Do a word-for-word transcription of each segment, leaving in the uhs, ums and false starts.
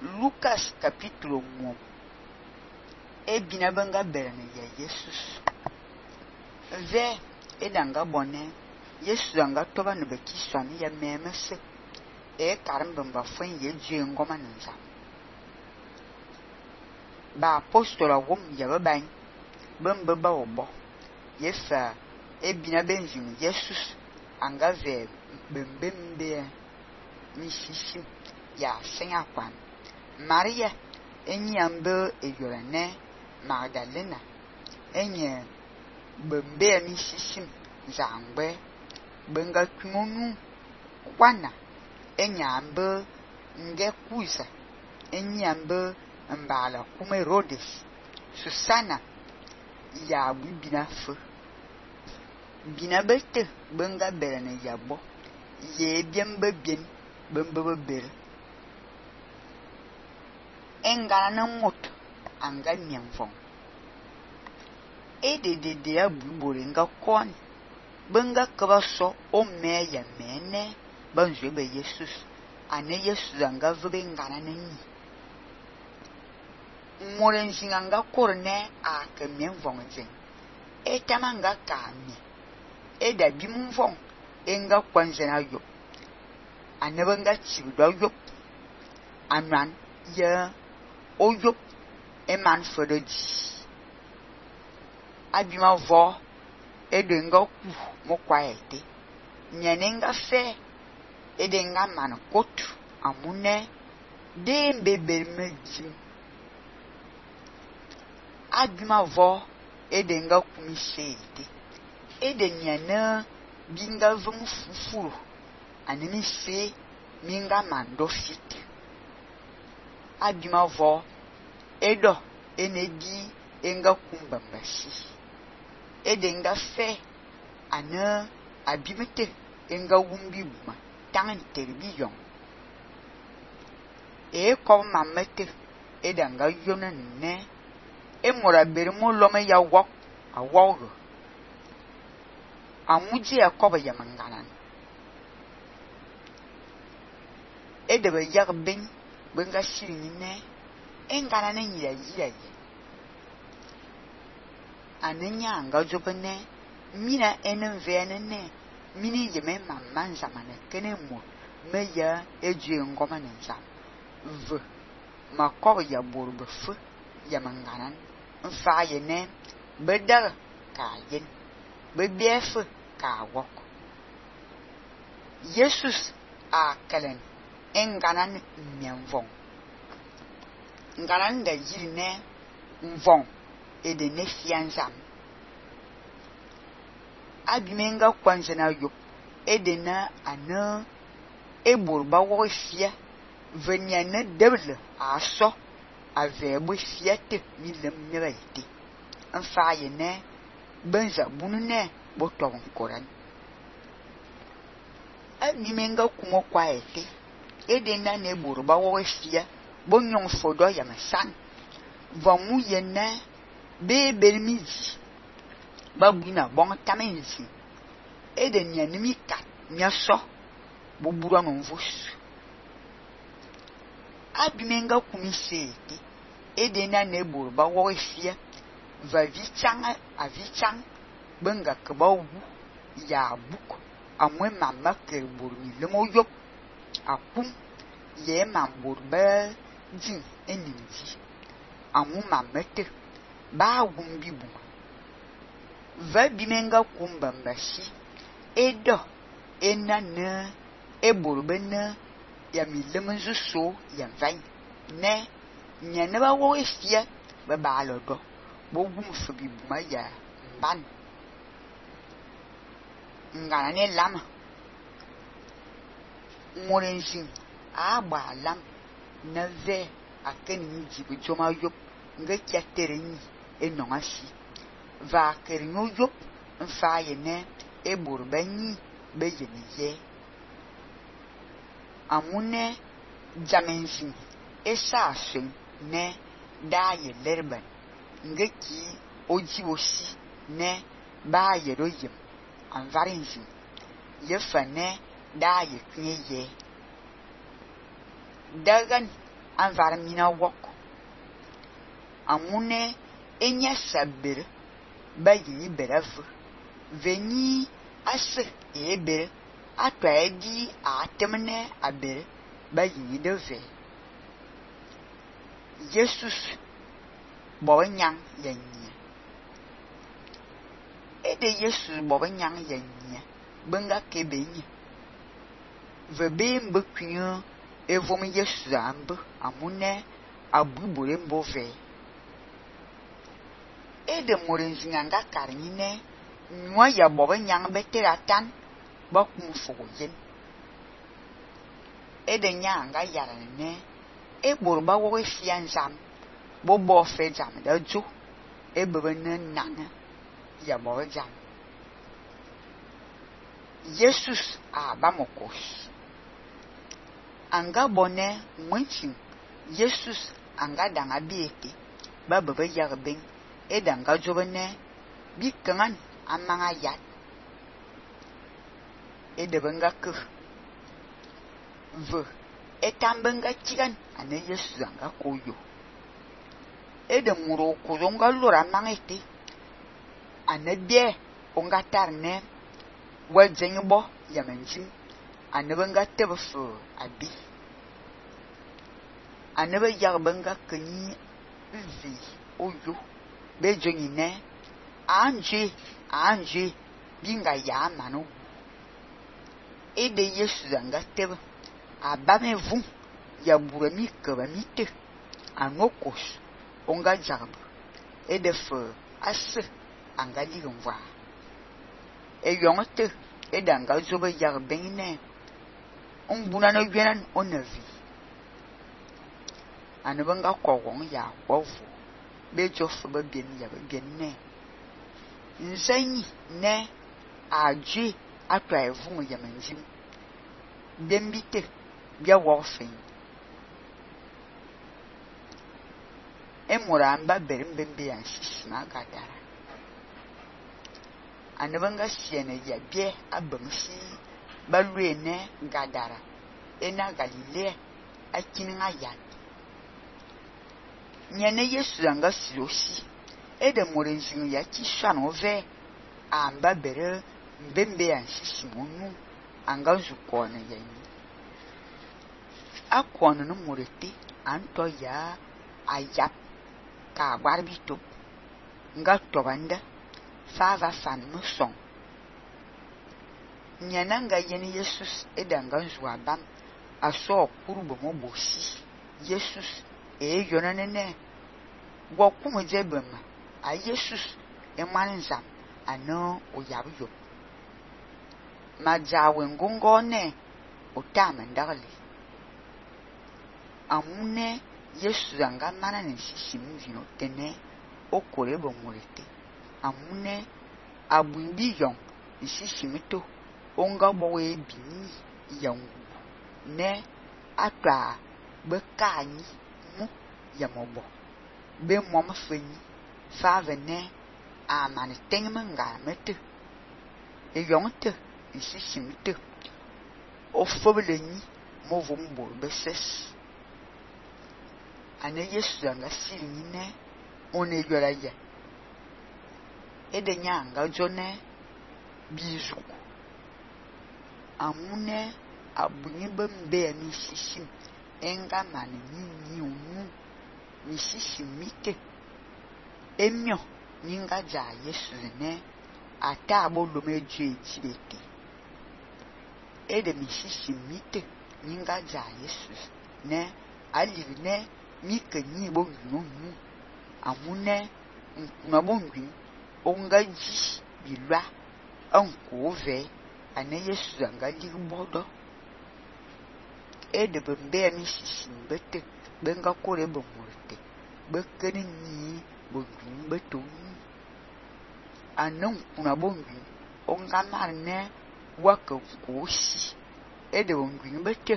Lucas capítulo um. E bina banga berane ya Jesus. Ve edanga bonne. Jesus anga toba no beki swani ya memese. E karambamba fwen ye dje ngoma nza. Ba apostola wom ya baban. Bamba ba obo. Yefa e bina benzin Jesus anga ve bembembe misisi ya senya kwan. Maria enyi ambe eyorane Magdalena enye bembe misisi zangbe benga kumonu kwana enye ambe nge kuza enyi ambe mbala kuma Herodes Susana ya bibina fe bina bete benga berane yabo ye biembe bien bembe bere engana na moto anga mienfong e de de de abubore nga kon benga kaba so o me ya mene banjwe be Jesus ane Jesus anga vebe ngana na ni morenzi anga korne a ke mienfong zen e tamanga kami e da bimfong enga kwanzena yo ane benga chido yo anan ya oyo eman fodoji abima vo edenga ku mo kwaete nyenenga fe edenga man kotu amune de bebe meji abima vo edenga ku mi seite edeniana binga vum fufuru anemi se minga mando fit abima vo edo enedi enga kumbambasi edenga fe ana abimete enga wumbi buma tan terbiyon e ko mamete edanga yona ne emora bermo lome ya wok awogo amuji akoba ya manganan edebe yagbin benga shirini ne engana ne nyira yira yi anenya anga jobene mina enenvene ne mini yeme mamman zamane kene mo meya eje ngoma nza v makob ya borbe fu ya manganan mfa ye ne bedar ka yin bebief ka wok Jesus a kalen enganan mienvong ngaran da yiri ne mvong ede ne fianzam abimenga kwanzena yo ede na ana eburba wo fia venia ne deble aso avebo fiate milem nebaiti anfa ye ne benza bunu ne botom koran abimenga kumo kwaete ede na ne burba wo fia bonyon fodo ya masan vamu yena be belmizi babuna bon tamenzi eden ya nimika nyaso bobura no mvus abimenga kumisete eden na ne burba wo fia va vichanga avichang benga kbawu ya buk amwe mama kerburmi lemoyo akum ye mamburba jin eninji amu mamete ba wumbi buma va bimenga kumbambashi edo enana eburbena ya milemenzu so ya vain ne nyane ba wo efia ba ba lodo bo wum fobi buma ya ban ngana ne lama morenjin agba lam na ve akeni njibu joma yop nga kyatere ni enongasi va kerinyo yop mfa ye ne eburba ni beyeniye amune jamensin esa asen ne da ye lerban nga ki oji osi ne ba ye royem anvarinsin ye fa ne da ye knyeye dagan anvar mina wok amune enya sabere ba yi berafu veni ase e bere atwa edi atemne abere ba yi de ve Jesus bo nyang yenye ede Jesus bo nyang yenye benga kebenye ve be mbekun evom Jesus ambe amune abubure mbove ede morenzinga nga karnyine nwa ya bo nyang beteratan ba kum foyen ede nyanga yarane e borba wo fianzam bo bo fe jam da jo e bebene nana ya bo jam Jesus abamokos anga bone mwenchin Jesus anga danga biete ba bebe yarben e danga jobene bi kangan amanga yat e de benga ke ve etambenga chigan ane Jesus anga koyo e de muro kuzonga lora mangete ane bie onga tarne wajenbo yamenjim ane benga tebefu abi ane be yarbenga kenyi vi oyo be jonyine anje anje binga ya manu e de Jesus anga tebe abame vum ya burami kabamite anokos onga jarb e de fe as anga ligomva e yonte e danga zobe yarbene ombuna no gwenan onavi anabanga kowon ya wovu be jofu be bien ya be bien ne nsanyi ne aje atwa evum ya manjim dembite bia wofen emuramba berembembe ya sisima gadara anabanga siene ya bie abamsi balwene gadara ena galilea akininga yan nyene Yesu anga sirosi ede morenzingu ya kisano ve amba bere mbembe ya sisimunu anga zukone yani akwonu no morete anto ya ayap ka barbito nga tobanda fava fan muson nyana nga yeni Jesus edanga nzwa bam aso kurubo mobosi Jesus e yonanene gwokumu jebema a Jesus e manzam ano oyabyo majawe ngongone otamandali amune Yesu anga mana nsisim vino tene okore bomurete amune abumbi yon nsisimito onga bowe bini yangu ne atwa bekanyi mu yamobo be mom fenyi fave ne amane tengmenga mete e yonte nsisimito ofoblenyi movumbo beses ane Yesu anga siline one yoraya ede nyanga jone bizuku amune abunyi bembe mi sisim enga mani nyinyi unu mi sisimite emyo nyinga ja Yesu ne ata abolome jejibete ede mi sisimite nyinga ja Yesu ne alivne mi kenyi bo nunu amune nkuna onga ji bilwa anko ve ane Yesu anga ligbodo ede bembe mi sisimbete benga kore bomurte bekeni ni bongun beto anon kuna bongun onga marne waka kosi ede bongun bete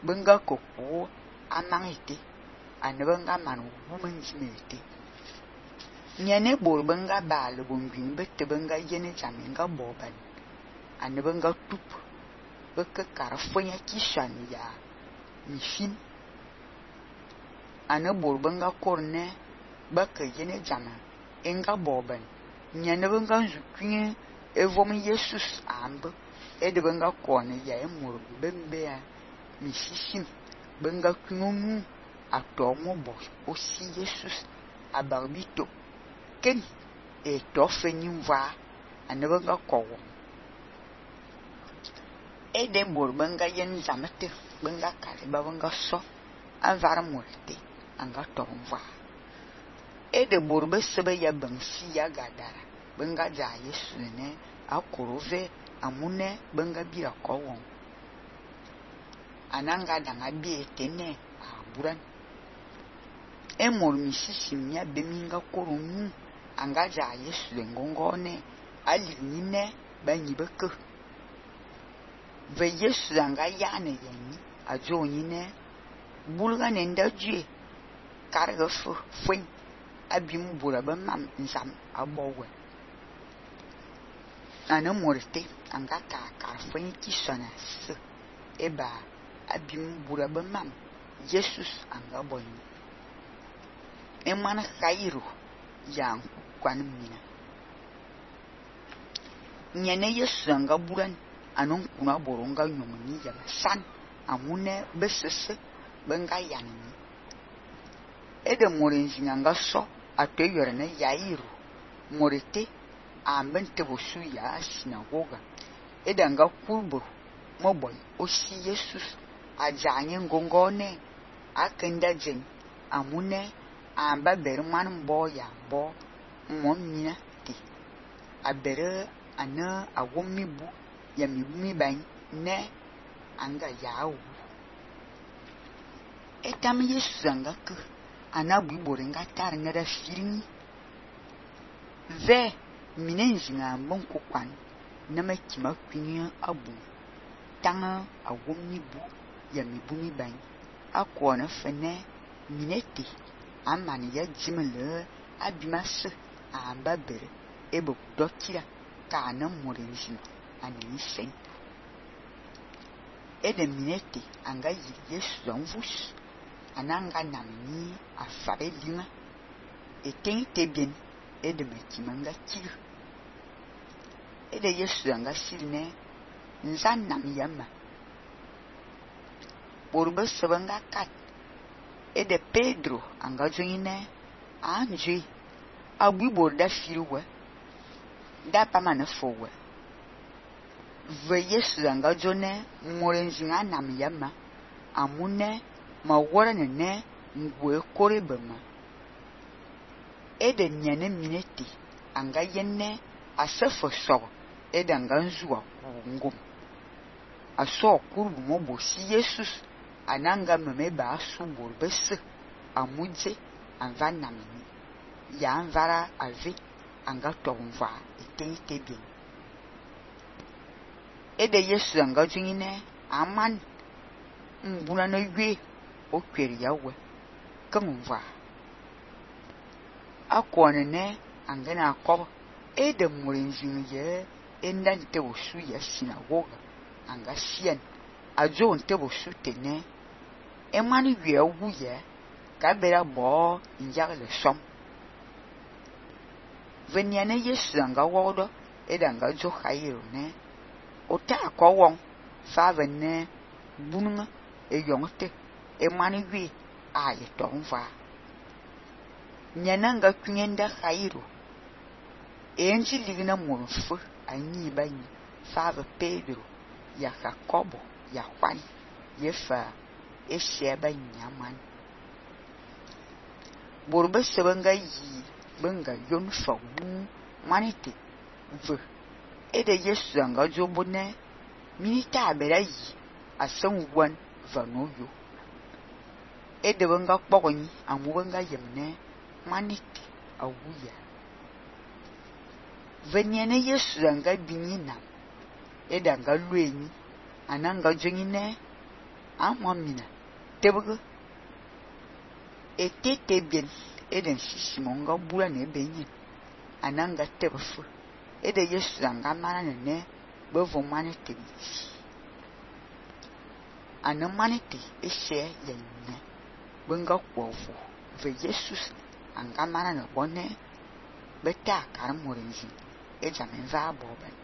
benga koko amangite ane benga manu womanjimete nyane bor benga bal bongun bete benga yene jaminga boban ane benga tup beke karfonya kishan ya mifin ana bor benga korne ba ke yene jama enga boben nyane benga nzukwin evom Jesus ambe ede benga kone ya emur bembe ya misishim benga kwinu atomo bo osi Jesus abarbito ken e tofenyim va ana benga kowo ede bor benga yen zamete benga kale ba benga so anvar multe anga tomva ede bor be sebe ya bansi ya gadara benga ja Yesu ne akorove amune benga bira kowon ananga danga bi etene aburan emor misisi mia beminga koronu anga ja Yesu ngongone alinyine banyibeke ve Yesu anga yane yani ajo nyine bulga nenda due karga fu fuen abim bura ba mam nzam abowe ana morte anga ka ka fuen kisona se eba abim bura ba mam Jesus anga boni emana khairu yang kwan mina nyene Yesu anga buran anon kuna boronga nyomni ya san amune besese benga yanni ede morenzi anga so atoyore ne yairu morete ambente bosu ya sinagoga ede anga kulbo moboy osi Jesus ajanye ngongone akenda jen amune amba berman boya bo momina ti abere ana awomibu ya mibumi ban ne anga yawo etam Yesu anga ku anabu borenga tar na da firini ve minenzi nga mbonko kwan na makima kwini abu tanga awomibu ya mibumi ban akona fene minete amani ya jimele abimase amba bere ebo dokira kana morenzi ani sen ede minete anga yi Yesu zanvus ananga namni afabe linga eten tebien ede makimanga kiru ede Yesu anga silne nzan nam yama borbe sebanga kat ede Pedro anga joine anje abu borda firuwe da pamana fowe ve Yesu anga jone morenzi nga nam yama amune ma wora nene ngwe kore bema ede nyane mineti anga yenne asefo so ede anga nzuwa ngum aso kurbu mo bosi Jesus ananga meme ba asu borbese amuje anva namini ya anvara ave anga tomva etente bien ede Yesu anga jingine aman mbuna no ywe okweri yawe kamva akone ne angana akob ede murinzin ye endante osu ya sinagoga anga sien ajo nte osu tene emani wi awuye ka bera bo njagale som veniane Yesu anga wodo ede anga jo khayiro ne ota akowon fa venne bununga e yongte emani wi aye tonva nyananga kunyenda khayiro enji ligna monfu anyi bani fa Pedro ya Jacobo ya Juan yefa esheba nyaman borbe sebanga yi benga yon fa wu manite ve ede Yesu anga jobone minita bera yi asan wan vanoyo ede benga kpogoni amu benga yemne manite awuya veniane Yesu anga binyina ede anga lueni ananga jengine amamina tebugo etete bien eden sisimonga bula ne benye ananga tebufu ede Yesu anga mana ne bevo manite ana manite eshe yenye benga kwovu ve Jesus anga mana ne bone beta kar morenzi e jamin va boben